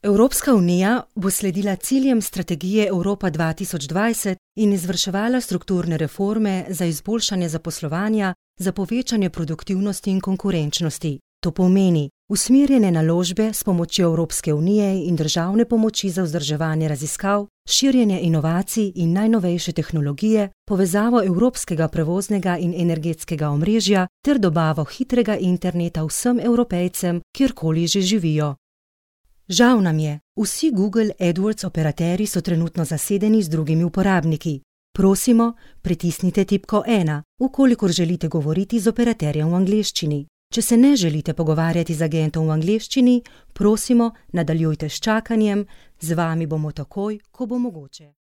Evropska unija bo sledila ciljem strategije Evropa 2020 in izvrševala strukturne reforme za izboljšanje zaposlovanja, za povečanje produktivnosti in konkurenčnosti. To pomeni usmerjene naložbe s pomočjo Evropske unije in državne pomoči za vzdrževanje raziskav, širjenje inovacij in najnovejše tehnologije, povezavo evropskega prevoznega in energetskega omrežja ter dobavo hitrega interneta vsem Evropejcem, kjerkoli že živijo. Žal nam je, vsi Google AdWords operaterji so trenutno zasedeni z drugimi uporabniki. Prosimo, pritisnite tipko 1, ukolikor želite govoriti z operaterjem v angleščini. Če se ne želite pogovarjati z agentom v angleščini, prosimo, nadaljujte s čakanjem, z vami bomo takoj, ko bo mogoče.